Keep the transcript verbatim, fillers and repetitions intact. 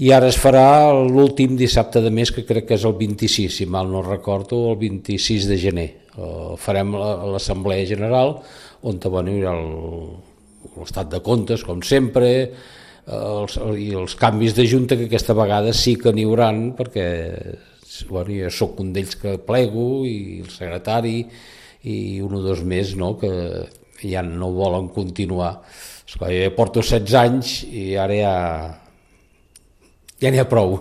i ara es farà l'últim dissabte de mes, que crec que és el vint-i-sis, si mal no recordo, el vint-i-sis de gener. Uh, farem l'assemblea general, on bueno, hi ha l'estat de comptes, com sempre, els, i els canvis de junta, que aquesta vegada sí que n'hi hauran, perquè bueno, jo soc un d'ells que plego, i el secretari, i un o dos més, no?, que ja no volen continuar. Esclar, jo ja porto setze anys i ara ja ja n'hi ha prou.